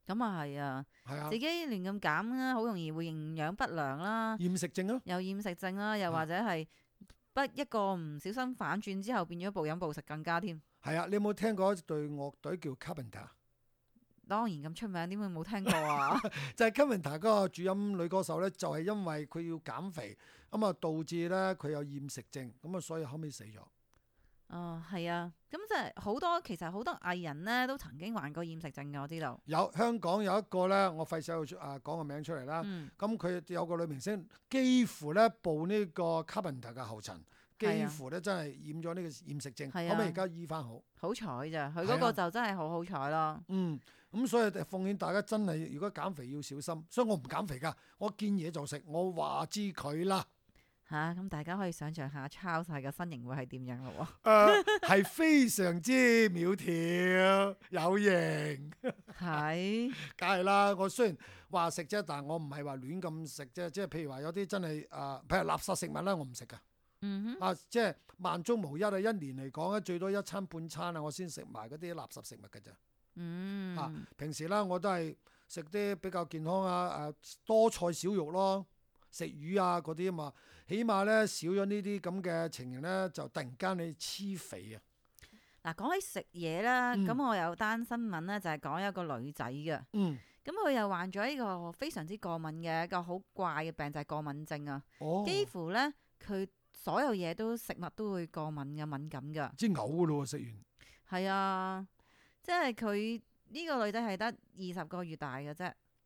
咁啊係啊，係啊自，己亂咁減啦，好容易會營養不良啦，厭食症咯。又厭食症啦，又或者係不一個唔小心反轉之後變咗暴飲暴食更加添。係啊，你有冇聽過一隊樂隊叫 Carpenter？當然咁出名，點會冇聽過啊？就係 Carpenter 嗰個主音女歌手咧，就係、是、因為佢要減肥，咁啊導致咧佢有厭食症，咁啊所以後尾死咗。哦，係啊，咁即係好多其實好多藝人咧都曾經患過厭食症嘅，我知道。有香港有一個咧，我費事去啊講個名出嚟啦。嗯，咁佢、有個女明星，幾乎咧步呢個 Carpenter 嘅後塵，幾乎咧真係染咗呢個厭食症，係啊後尾而家醫翻好。好彩咋，佢嗰個係啊就真係好好彩咯。嗯，咁所以奉勸大家真係如果減肥要小心，所以我唔減肥㗎，我見嘢就食，我話知佢啦。吓，咁、大家可以想象下超細嘅身形會係點樣咯喎？誒、呃，係非常之苗條有型，係，梗係啦。我雖然話食啫，但係我唔係話亂咁食啫。即係譬如話有啲真係誒、呃，譬如垃圾食物啦，我唔食㗎。嗯哼，啊，即係萬中無一啊！一年嚟講咧，最多一餐半餐啊，我先食埋嗰啲垃圾食物㗎咋。嗯，啊，平時啦，我都係食啲比較健康啊，誒多菜少肉咯，食魚啊嗰啲啊嘛，起碼咧少咗呢啲咁嘅情形咧，就突然間你黐肥啊！嗱，講起食嘢啦，嗯咁、我有單新聞咧，就係講一個女仔嘅，嗯，咁佢又患咗呢個非常之過敏嘅一個好怪嘅病，就係、過敏症啊。哦，幾乎咧，佢所有嘢都食物都會過敏嘅敏感㗎。知嘔噶咯喎，食完。係啊，即係佢呢個女仔係得二十個月大嘅啫。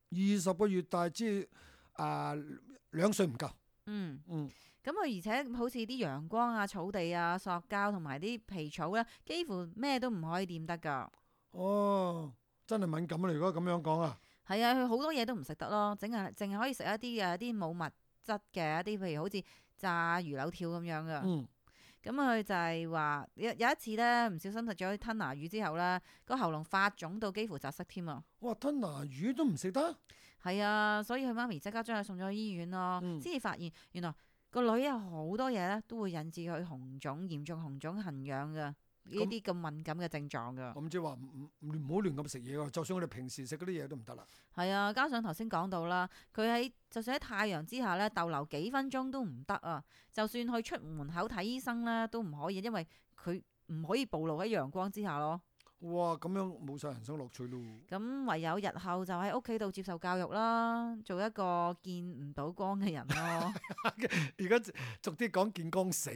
二十個月大，即係誒兩歲唔夠。嗯。嗯，咁佢而且好似啲陽光啊、草地啊、塑膠同埋啲皮草咧，幾乎咩都唔可以掂得㗎。哦，真係敏感啊！如果咁樣講啊，係啊，佢好多嘢都唔食得咯，淨係淨係可以食一啲嘅一啲冇物質嘅一啲，譬如好似炸魚柳條咁樣㗎。嗯，咁佢就係話有有一次咧，唔小心食咗啲吞拿魚之後咧，個喉嚨發腫到幾乎窒息添啊！哇，吞拿魚都唔食得。係啊，所以佢媽咪即刻將佢送咗去醫院咯，嗯先至發現原來個女有好多嘢咧都會引致佢紅腫、嚴重紅腫、痕癢嘅呢啲咁敏感嘅症狀㗎。我唔知話唔唔唔好亂咁食嘢喎，就算我哋平時食嗰啲嘢都唔得啦。係啊，加上頭先講到啦，佢喺就算喺太陽之下咧逗留幾分鐘都唔得啊！就算去出門口睇醫生咧都唔可以，因為佢唔可以暴露喺陽光之下咯。哇，咁樣冇晒人生樂趣咯。咁唯有日後就喺屋企度接受教育啦，做一個見唔到光嘅人咯。而家逐啲講見光死。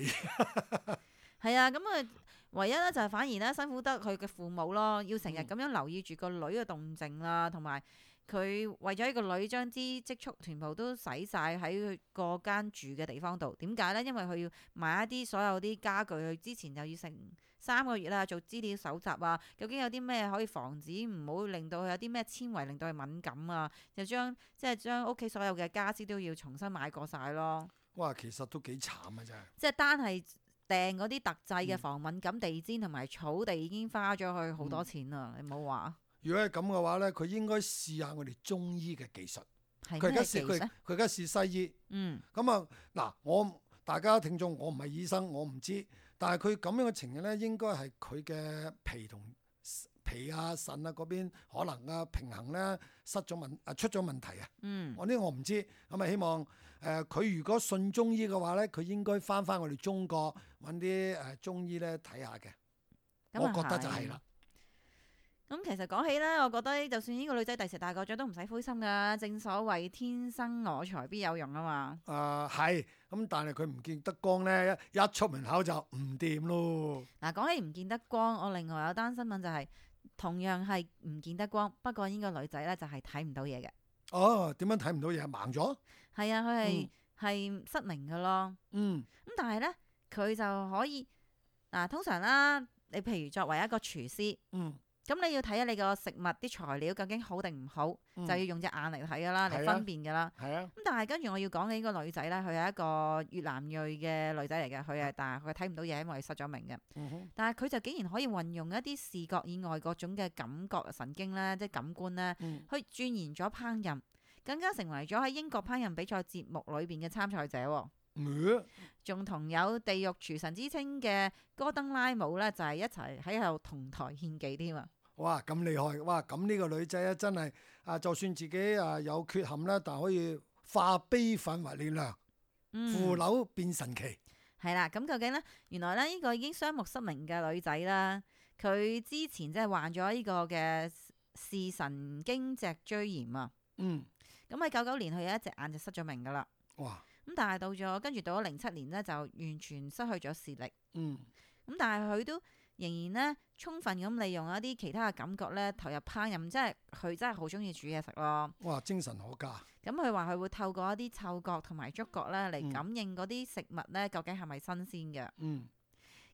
係啊，咁啊，唯一咧就係反而咧辛苦得佢嘅父母咯，要成日咁樣留意住個女嘅動靜啦，同埋佢為咗呢個女將啲積蓄全部都使晒喺佢個間住嘅地方度。點解咧？因為佢要買一啲所有啲家具，佢之前又要成三個月啦，做資料搜集啊，究竟有啲咩可以防止唔好令到佢有啲咩纖維令到佢敏感啊？就將即係將屋企所有嘅家私都要重新買過晒咯。哇，其實都幾慘啊，真係。即係單係訂嗰啲特製嘅防敏感地氈同埋草地已經花咗去好多錢啦，嗯、你唔好話。如果係咁嘅話咧，佢應該試下我哋中醫嘅技術。係佢而家試佢咩技術？佢而家試西醫。嗯，咁啊嗱，我大家聽眾，我唔係醫生，我唔知。但係佢咁樣嘅情形咧，應該係佢嘅脾同脾啊、腎啊嗰邊可能啊平衡咧失咗問啊出咗問題啊。嗯，我呢個我唔知。咁啊希望誒佢、呃、如果信中醫嘅話咧，佢應該翻翻我哋中國揾啲誒中醫咧睇下嘅。咁啊我覺得就係啦。咁其實講起咧，我覺得就算呢個女仔第時大個咗都唔使灰心噶。正所謂天生我材必有用啊嘛。啊係，咁但係佢唔見得光咧，一一出門口就唔掂咯。嗱，講起唔見得光，我另外有單新聞就係、同樣係唔見得光，不過呢個女仔咧就係睇唔到嘢嘅。哦，點樣睇唔到嘢？盲咗？係啊，佢係係失明嘅咯。嗯咁但係咧，佢就可以嗱，通常啦，你譬如作為一個廚師。嗯。咁你要睇下你個食物啲材料究竟好定唔好，嗯就要用隻眼嚟睇噶啦，嚟係啊分辨噶啦。係啊。咁但係跟住我要講嘅呢個女仔咧，佢係一個越南裔嘅女仔嚟嘅，佢係但係佢睇唔到嘢，因為佢失咗明嘅。嗯哼。但係佢就竟然可以運用一啲視覺以外各種嘅感覺神經咧，即係感官咧，嗯去鑽研咗烹飪，更加成為咗喺英國烹飪比賽節目裏邊嘅參賽者喎。嗯仲同有地獄廚神之稱嘅戈登拉姆咧，就係一齊喺度同台獻技添啊！哇，咁厲害！哇，咁呢個女仔咧真係啊，就算自己啊有缺陷咧，但可以化悲憤為力量，腐朽變神奇。係啦，咁究竟咧，原來咧呢個已經雙目失明嘅女仔啦，佢之前即係患咗呢個嘅視神經脊椎炎啊。嗯。咁喺九九年，佢有一隻眼就失咗明噶啦。哇！咁但係到咗跟住到咗零七年咧，就完全失去咗視力。嗯。咁但係佢都仍然咧，充分咁利用一啲其他嘅感覺咧，投入烹飪，即係佢真係好中意煮嘢食咯。哇！精神可嘉。咁佢話佢會透過一啲嗅覺同埋觸覺咧嚟感應嗰啲食物咧，究竟係咪新鮮嘅。嗯。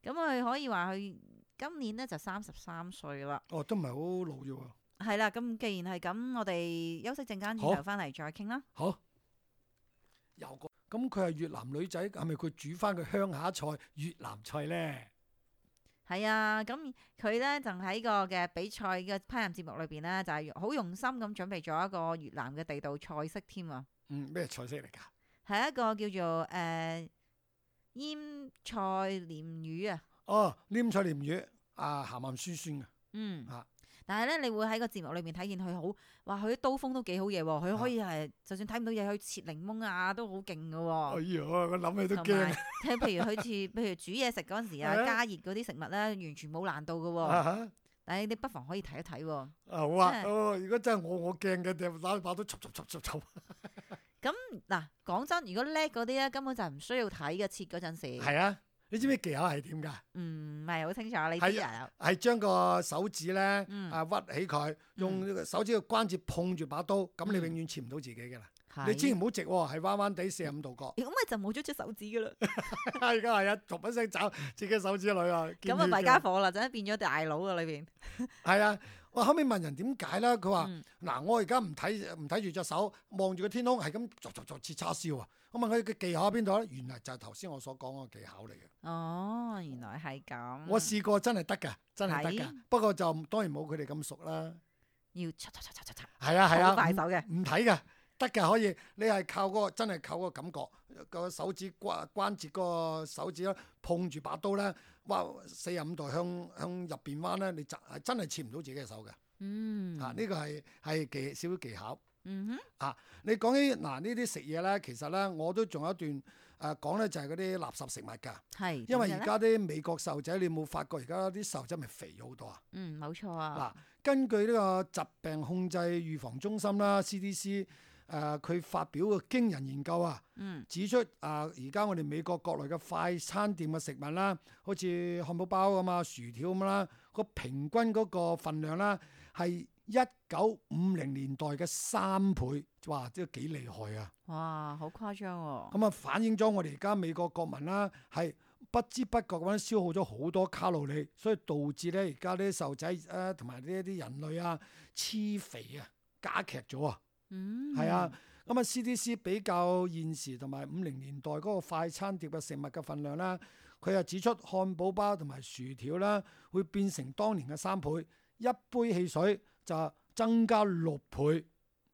咁佢可以話佢今年咧就三十三歲啦。哦，都唔係好老啫喎。係啦，咁既然係咁，我哋休息陣間轉頭翻嚟再傾啦。好。有個咁佢係越南女仔，係咪佢煮翻個鄉下菜越南菜咧？係啊，咁佢咧就喺個嘅比賽嘅烹飪節目裏邊咧，就係好用心咁準備咗一個越南嘅地道菜式添啊！嗯，咩菜式嚟㗎？係一個叫做誒、呃、醃菜鯰魚啊！哦，醃菜鯰魚啊，鹹鹹酸酸嘅。嗯。啊。但係咧，你會喺個節目裏面睇見佢好，哇！佢啲刀鋒都幾好嘢喎，佢可以係、啊、就算睇唔到嘢，去切檸檬啊，都好勁㗎喎。哎呀，我諗起都驚。同埋，即係譬如佢似，譬如煮嘢食嗰陣時啊，加熱嗰啲食物咧，完全冇難度㗎喎。啊、但係你不妨可以睇一睇喎。啊好啊，哦，如果真係我，我驚嘅，就打把刀，插插插插插。咁嗱，講真，如果叻嗰啲咧，根本就唔需要睇嘅，切嗰陣時。係啊。你知唔知技巧係點㗎？唔係好清楚，你知啊？係將個手指咧、嗯、啊屈起佢，用手指嘅關節碰住把刀，咁、嗯、你永遠切唔到自己㗎啦。你千祈唔好直喎，係彎彎地四十五度角。咁咪就冇咗隻手指㗎啦。而家係啊，逐一聲找自己手指裏啊。咁啊弊家伙啦，真係變咗大佬啊裏邊。係啊，我後尾問人點解啦，佢話：嗱、嗯，我而家唔睇唔睇住隻手，望住個天空，係咁逐逐逐切叉燒啊！我問佢嘅技巧喺邊度咧？原來就係頭先我所講嗰個技巧嚟嘅。哦，原來係咁。我試過真係得㗎，真係得㗎。不過就當然冇佢哋咁熟啦。要嚓嚓嚓嚓嚓嚓。係啊係啊，好快手嘅。唔睇㗎，得㗎可以。你係靠嗰、嗰個真係靠嗰個感覺，個手指關關節嗰個手指咧碰住把刀咧，哇四十五度向向入邊彎咧，你就係真係切唔到自己嘅手嘅。嗯。啊，呢、呢個係係技少少技巧。嗯哼。啊，你講起嗱呢啲食嘢咧，其實咧我都仲有一段誒講咧，就係嗰啲垃圾食物㗎。係。因為而家啲美國細路仔，你有冇發覺而家啲細路仔咪肥咗好多啊？嗯，冇錯啊。嗱，根據呢個疾病控制預防中心啦 （C D C） 誒、呃，佢發表嘅驚人研究啊，嗯、指出啊，而家我哋美國國內嘅快餐店嘅食物啦，好似漢堡包咁啊、薯條咁啦，個平均嗰個份量啦係一九五零年代嘅三倍，哇！即係幾厲害啊！哇，好誇張喎！咁啊，反映咗我哋而家美國國民啦，係不知不覺咁樣消耗咗好多卡路里，所以導致咧而家啲細路仔啊同埋呢一啲人類啊黐肥啊，加劇咗啊！嗯，係啊，咁啊 C D C 比較現時同埋五零年代嗰個快餐店嘅食物嘅份量啦，佢又指出漢堡包同埋薯條啦，會變成當年嘅三倍，一杯汽水就增加六倍，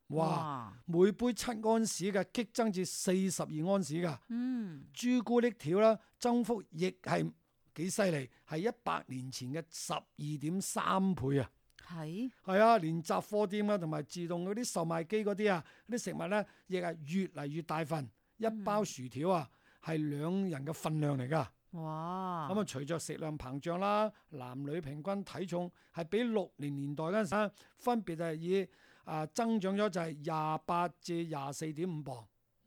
哇！哇每杯七安士嘅激增至四十二安士㗎，嗯，朱古力條啦，增幅亦係幾犀利，係一百年前嘅十二點三倍啊！係係啊，連雜貨店啊同埋自動嗰啲售賣機嗰啲啊，啲食物咧亦係越嚟越大份，一包薯條啊係兩人嘅份量嚟㗎。哇！咁啊，隨着食量膨脹啦，男女平均體重係比六零年代嗰陣時咧，分別係以啊增長咗就係廿八至廿四點五磅。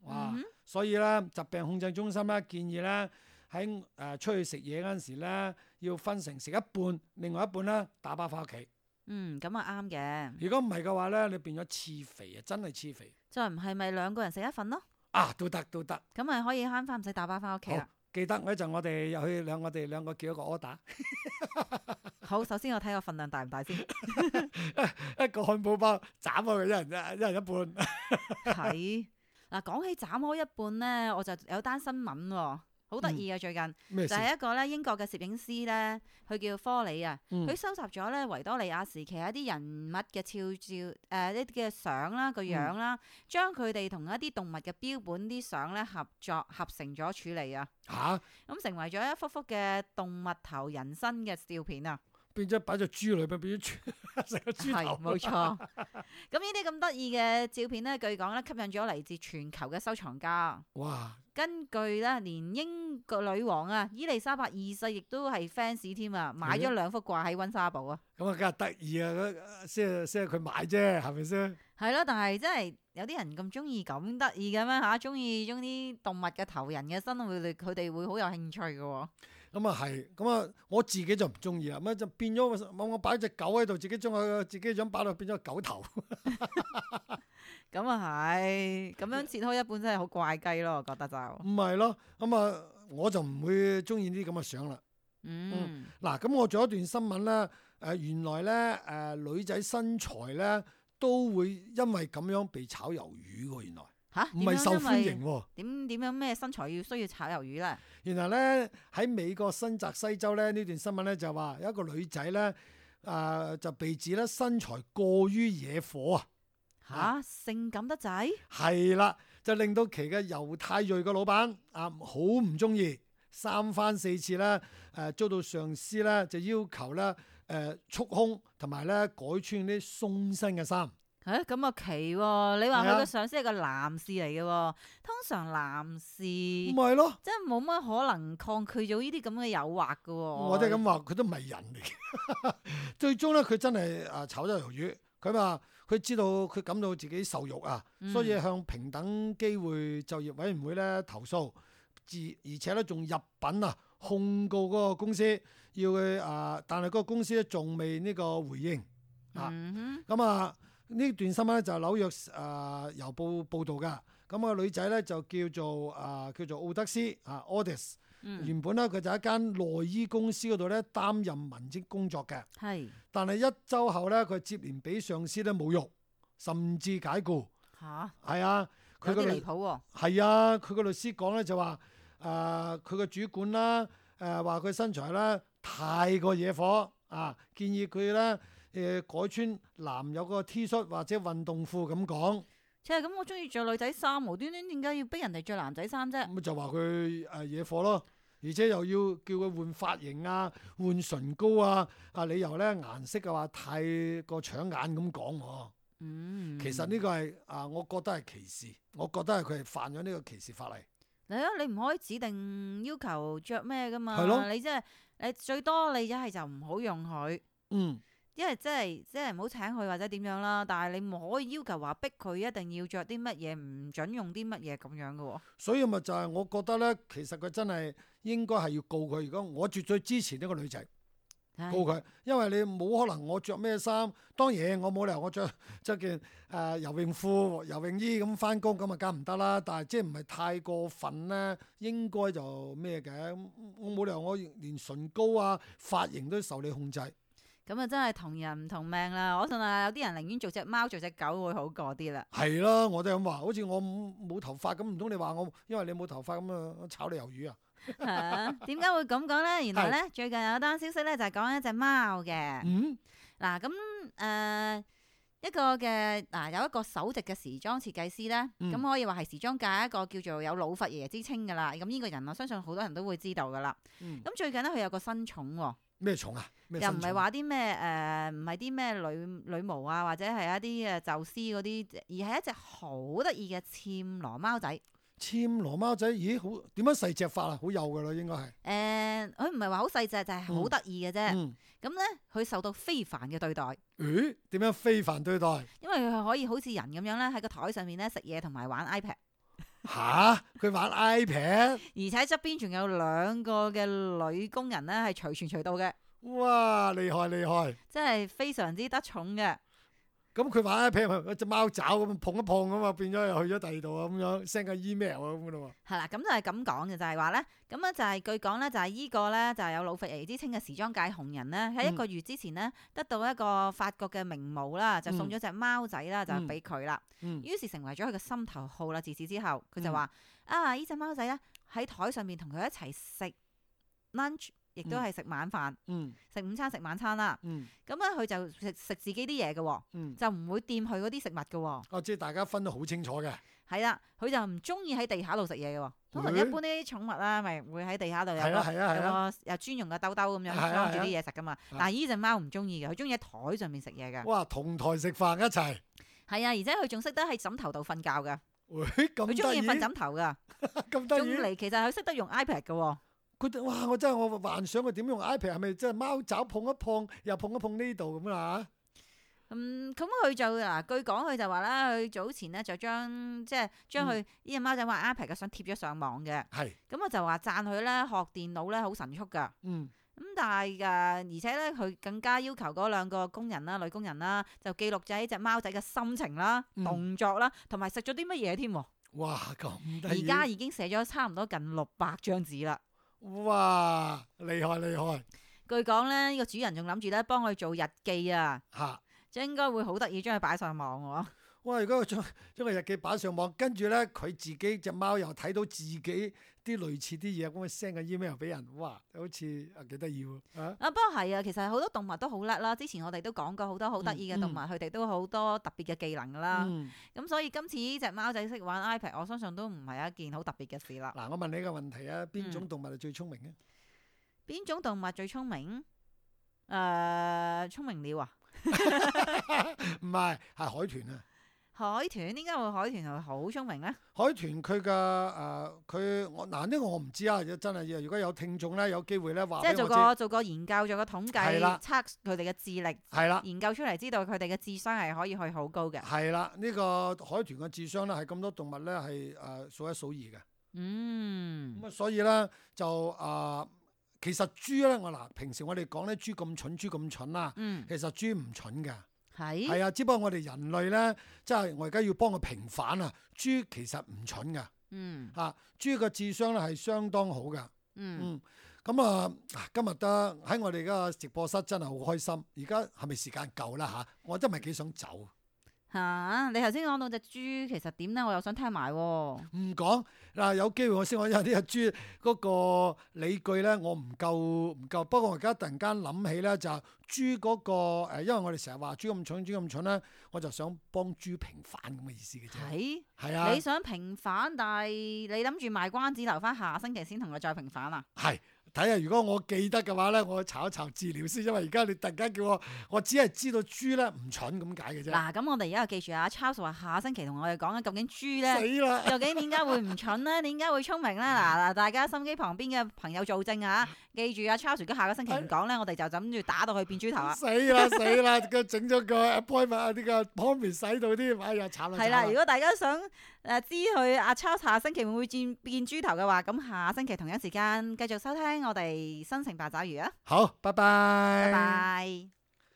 哇！嗯哼所以咧，疾病控制中心咧建議咧喺誒出去食嘢嗰陣時咧，要分成食一半，另外一半咧打包翻屋企。嗯，咁啊啱嘅。如果唔係嘅話咧，你變咗黐肥啊，真係黐肥再唔係咪兩個人食一份咯？啊！都得都得，咁咪可以慳翻唔使打包翻屋企啦。記得嗰陣我哋入去兩我哋兩個叫一個 order，好，首先我睇個份量大唔大先。一個漢堡包斬開佢一人一一人一半。係嗱，講起斬開一半咧，我就有單新聞喎，好得意啊！最近咩事？就係一個咧英國嘅攝影師咧，佢叫科里啊，嗯佢收集咗咧維多利亞時期一啲人物嘅肖照誒一啲嘅相啦個樣啦，將佢哋同一啲動物嘅標本啲相咧合作合成咗處理啊，嚇咁成為咗一幅幅嘅動物頭人身嘅照片啊！變咗擺隻豬裏邊，變咗豬成個豬係頭。冇錯。咁呢啲咁得意嘅照片咧，據講咧吸引咗嚟自全球嘅收藏家。哇！根據咧，連英國女王啊伊麗莎白二世亦都係 fans 添啊，買咗兩幅掛喺溫莎堡啊。咁啊，梗係得意啊！嗰先係先係佢買啫，係咪先？係咯，但係真係有啲人咁中意咁得意嘅咩嚇？中意將啲動物嘅頭人嘅身，會佢哋會好有興趣嘅喎。咁啊係，咁啊我自己就唔中意啦，咁就變咗我我擺隻狗喺度，自己將佢自己想擺到變咗狗頭。咁啊係，咁樣切開一半真係好怪雞咯，我覺得就。唔係咯，咁啊我就唔會中意呢啲咁嘅相啦。嗯。嗱，咁我仲有一段新聞咧，誒原來咧誒女仔身材咧都會因為咁樣被炒魷魚喎，原來嚇，唔係受歡迎喎。點點樣咩身材要需要炒魷魚咧？原來咧喺美國新澤西州咧呢段新聞咧就話有一個女仔咧誒就被指咧身材過於惹火啊！嚇，性感得滯？係啦，就令到其嘅猶太裔嘅老闆啊好唔中意，三番四次咧誒、呃、遭到上司咧就要求咧誒束胸同埋咧改穿啲鬆身嘅衫。誒咁啊奇喎！你話佢係啊個上司係個男士嚟嘅喎，通常男士唔係咯，真係冇乜可能抗拒咗呢啲咁嘅誘惑嘅喎。我哋咁話佢都唔係人嚟嘅。最終咧佢真係啊炒咗魷魚，佢話佢知道佢感到自己受辱啊，嗯所以向平等機會就業委員會咧投訴，自而且咧仲入稟啊控告嗰個公司，要佢啊，但係嗰個公司咧仲未呢個回應啊。嗯咁啊呢段新聞咧就係紐約啊郵報報導㗎。咁個女仔咧就叫做啊叫做奧德斯啊 Audis。哼，原本咧佢就喺一間內衣公司嗰度咧擔任文職工作嘅，係但係一週後咧佢接連俾上司咧侮辱，甚至解僱。嚇，係啊，佢有啲離個律譜喎。係啊，佢個律師講咧就話誒佢個主管啦誒話佢身材咧太過惹火啊，建議佢咧誒改穿男友個 T 恤或者運動褲咁講。即係咁，我中意着女仔衫，無端端點解要逼人哋着男仔衫啫？咁就話佢誒惹火咯，而且又要叫佢換髮型啊、換唇膏啊，啊理由咧顏色嘅話太過搶眼咁講喎。嗯，其實呢個係啊，我覺得係歧視，我覺得係佢係犯咗呢個歧視法例。係啊，你唔可以指定要求着咩噶嘛？係咯你即係你最多你一係就唔好用佢。嗯，因為即係即係唔好請佢或者點樣啦，但係你唔可以要求話逼佢一定要着啲乜嘢，唔準用啲乜嘢咁樣嘅喎。所以咪就係我覺得咧，其實佢真係應該係要告佢。如果我絕對支持呢個女仔。唉告佢，因為你冇可能我着咩衫，當然我冇理由我着着件誒、呃、游泳褲、游泳衣咁翻工，咁啊梗唔得啦。但係即係唔係太過分咧，應該就咩嘅。我冇理由我連唇膏啊、髮型都受你控制。咁啊真係同人唔同命啦！我信啊，有啲人寧願做隻貓做隻狗會好過啲啦。係咯，我都係咁話。好似我冇頭髮咁，唔通你話我因為你冇頭髮咁啊炒你魷魚啊？嚇點解會咁講咧？原來咧最近有單消息咧就係講一隻貓嘅。嗯，嗱咁誒一個嘅嗱有一個首席嘅時裝設計師咧，咁、嗯可以話係時裝界一個叫做有老佛爺之稱噶啦。咁呢個人我相信好多人都會知道噶啦。咁、嗯最近咧佢有個新寵喎。咩蟲啊？咩又唔新蟲係話啲咩誒，唔係啲咩女女巫啊，或者係一啲誒宙斯嗰啲，而係一隻好得意嘅暹羅貓仔。暹羅貓仔，咦好點樣細隻法啊？好幼㗎啦，應該係。誒，佢唔係話好細隻，就係好得意嘅啫。嗯。咁咧，佢受到非凡嘅對待。誒點樣非凡對待？因為佢可以好似人咁樣咧，喺個台上面咧食嘢同埋玩 iPad。吓？佢玩 iPad？而且側邊仲有兩個嘅女工人咧，係隨傳隨到嘅。哇！厲害厲害！真係非常之得寵嘅。咁佢玩 iPad 咪一隻貓爪咁碰一碰咁嘛，變咗又去咗第二度啊咁樣 send 個 email 啊咁噶咯喎。係啦，咁就係咁講嘅，就係話咧，咁咧就係據講咧，就係依個咧就係有老佛爺之稱嘅時裝界紅人咧，喺一個月之前咧得到一個法國嘅名模啦，就送咗隻貓仔啦，就俾佢啦。嗯。於是成為咗佢嘅心頭好啦。自此之後，佢就話：啊，呢隻貓仔咧喺台上面同佢一齊食 lunch。亦都係食晚飯，食、嗯、午餐食晚餐啦。咁咧佢就食食自己啲嘢嘅，嗯、就唔會掂佢嗰啲食物嘅。哦，即係大家分得好清楚嘅。係啦，佢就唔中意喺地下度食嘢嘅。通常一般啲寵物啦，咪會喺地下度有個有個有專用嘅兜兜咁樣裝住啲嘢食噶嘛。但係呢隻貓唔中意嘅，佢中意喺台上面食嘢嘅。哇，同台食飯一齊。係啊，而且佢仲識得喺枕頭度瞓覺嘅。佢中意瞓枕頭噶。咁得意。仲嚟，其實佢識得用 iPad 嘅。佢哇！我真係我幻想佢點用 iPad，係咪即係貓爪碰一碰，又碰一碰呢度咁啊？嗯，咁佢就嗱，據講佢就話啦，佢早前咧就將即係將佢呢隻貓仔玩 iPad 嘅相貼咗上網嘅。係。咁我就話讚佢咧學電腦咧好神速㗎。嗯。咁但係㗎，而且咧佢更加要求嗰兩個工人啦、女工人啦，就記錄咗呢隻貓仔嘅心情啦、嗯、動作啦，同埋食咗啲乜嘢添。哇！咁得意。而家已經寫咗差唔多近六百張紙啦。哇！厲害厲害！據講咧，呢個主人仲諗住咧幫佢做日記啊，嚇，即係應該會好得意，將佢擺上網喎。哇！如果佢將將個日記擺上網，跟住咧佢自己隻貓又睇到自己啲類似啲嘢，咁佢 send 個 email 俾人，哇！好似啊幾得意喎啊！啊，不過係啊，其實好多動物都好叻啦。之前我哋都講過好多好得意嘅動物，佢哋、嗯嗯、都好多特別嘅技能噶啦。咁、嗯、所以今次呢隻貓仔識玩 iPad，我相信都唔係一件好特別嘅事啦。嗱，我問你一個問題啊，邊種動物係最聰明嘅？邊、嗯、種動物最聰明？誒、呃，聰明鳥啊？唔係，係海豚啊！海豚點解會海豚係好聰明咧？海豚佢嘅誒佢我嗱呢個我唔知啊，真係如果有聽眾咧有機會咧話，即係做個做個研究，做個統計，的測佢哋嘅智力，係啦的，研究出嚟知道佢哋嘅智商係可以去好高嘅。係啦，呢、呢個海豚嘅智商咧係咁多動物咧係誒數一數二嘅。嗯，咁啊所以咧就誒、呃、其實豬咧我嗱平時我哋講咧豬咁蠢豬咁蠢啦，嗯、其實豬唔蠢㗎。係係啊，只不過我哋人類咧，即係我而家要幫佢平反啊！豬其實唔蠢噶，嗯嚇，豬嘅智商咧係相當好噶，嗯咁啊，今日得喺我哋嘅直播室真係好開心。而家係咪時間夠啦嚇？我真係幾想走。嚇、啊！你頭先講到隻豬，其實點咧？我又想聽埋喎。唔講嗱，有機會我先講，因為呢隻豬嗰個理據咧，我唔夠唔夠。不過我而家突然間諗起咧，就係豬嗰個誒，因為我哋成日話豬咁蠢，豬咁蠢咧，我就想幫豬平反咁嘅意思嘅啫。係係啊！你想平反，但係你諗住賣關子，留翻下星期先同佢再平反啊？係。睇下如果我記得嘅話咧，我查一查資料先，因為而家你突然間叫我，我只係知道豬咧唔蠢咁解嘅啫。嗱，咁我哋而家記住啊 Charles 話下星期同我哋講緊究竟豬咧，死啦！究竟點解會唔蠢咧？點解會聰明咧？嗱嗱，大家心機旁邊嘅朋友做證啊！記住啊 Charles 如果下個星期唔講咧，我哋就諗住打到佢變豬頭啊！死啦死啦！佢整咗個 appointment 啊，呢個 promise 喺度添，哎呀慘啦！係啦，如果大家想誒知佢阿 Charles 下星期會唔會變變豬頭嘅話，咁下星期同一時間繼續收聽我哋新城八爪魚啊！好，拜拜，拜拜。